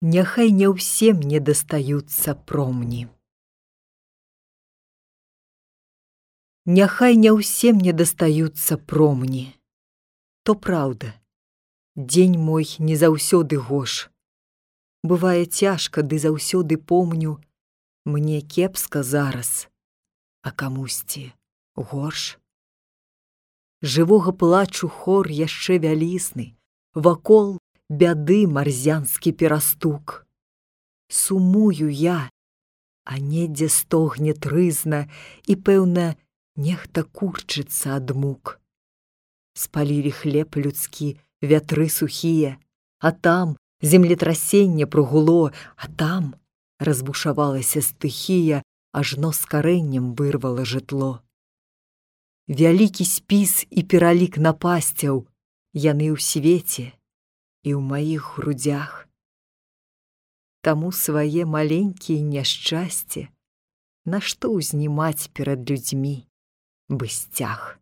Няхай не ўсе мне дастаюцца промні. Няхай не ўсе мне дастаюцца промні. То праўда, дзень мой не заўсёды гош. Бывае цяжка, ды заўсёды помню, мне кепска зараз, а камусьці горш. Жывога плачу хор яшчэ вялізны, вакол бяды марзянскі перастук. Сумую я, а недзе стогне трызна, і, пэўна, нехта курчыцца ад мук. Спалілі хлеб людскі вятры сухія, а там землетрасенне прагуло, а там разбушавалася стыхія, ажно з карэннем вырвала жытло. Вялікі спіс і пералік напасцяў, яны ў свеце і ў маіх грудзях. Таму свае маленькія няшчасце нашто ўзнімаць перад людзьмі бы сцяг.